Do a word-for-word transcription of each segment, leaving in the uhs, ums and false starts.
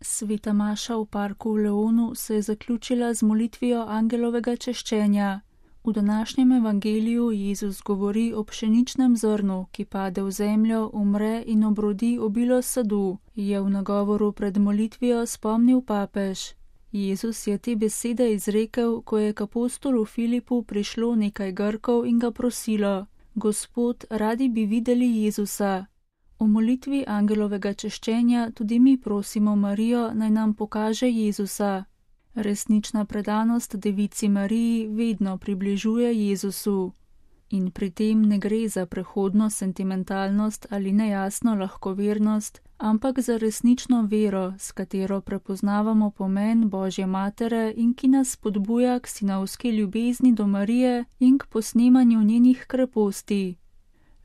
Sveta maša v parku v Leonu se je zaključila z molitvijo angelovega češčenja. V današnjem evangeliju Jezus govori o pšeničnem zrnu, ki pade v zemljo, umre in obrodi obilo sadu, je v nagovoru pred molitvijo spomnil papež. Jezus je te besede izrekel, ko je k apostolu Filipu prišlo nekaj Grkov in ga prosilo: Gospod, radi bi videli Jezusa. V molitvi angelovega češčenja tudi mi prosimo Marijo, naj nam pokaže Jezusa. Resnična predanost Devici Mariji vedno približuje Jezusu. In pri tem ne gre za prehodno sentimentalnost ali nejasno lahkovernost, ampak za resnično vero, s katero prepoznavamo pomen Božje matere in ki nas spodbuja k sinovski ljubezni do Marije in k posnemanju njenih kreposti.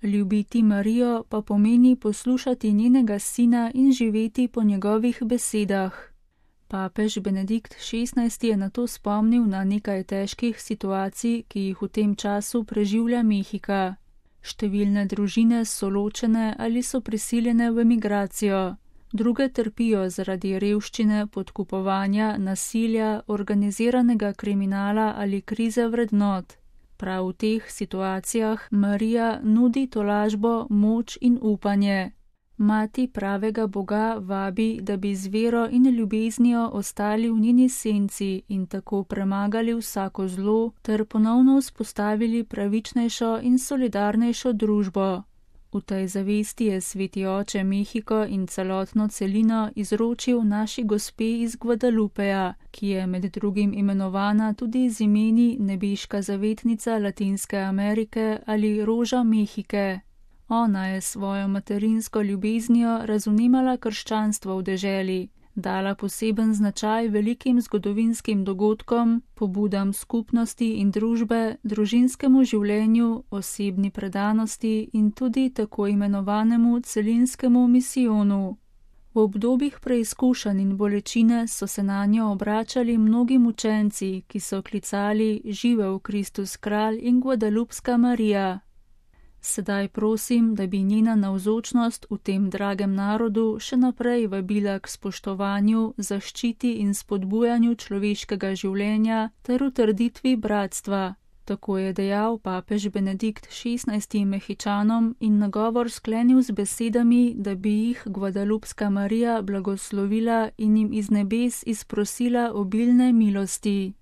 Ljubiti Marijo pa pomeni poslušati njenega sina in živeti po njegovih besedah. Papež Benedikt šestnajsti je nato spomnil na nekaj težkih situacij, ki jih v tem času preživlja Mehika. Številne družine so ločene ali so prisiljene v emigracijo. Druge trpijo zaradi revščine, podkupovanja, nasilja, organiziranega kriminala ali krize vrednot. Prav v teh situacijah Marija nudi tolažbo, moč in upanje. Mati pravega Boga vabi, da bi z vero in ljubeznijo ostali v njeni senci in tako premagali vsako zlo ter ponovno vzpostavili pravičnejšo in solidarnejšo družbo. V tej zavesti je sveti oče Mehiko in celotno celino izročil naši gospe iz Guadalupeja, ki je med drugim imenovana tudi z imeni nebeška zavetnica Latinske Amerike ali Roža Mehike. Ona je svojo materinsko ljubeznijo razumela krščanstvo v deželi, dala poseben značaj velikim zgodovinskim dogodkom, pobudam skupnosti in družbe, družinskemu življenju, osebni predanosti in tudi tako imenovanemu celinskemu misijonu. V obdobjih preizkušanj in bolečine so se nanjo obračali mnogi mučenci, ki so klicali: Živel Kristus kralj in Guadalupska Marija. Sedaj prosim, da bi njena navzočnost v tem dragem narodu še naprej vabila k spoštovanju, zaščiti in spodbujanju človeškega življenja ter utrditvi bratstva. Tako je dejal papež Benedikt šestnajsti Mehičanom in nagovor sklenil z besedami, da bi jih Guadalupska Marija blagoslovila in jim iz nebes izprosila obilne milosti.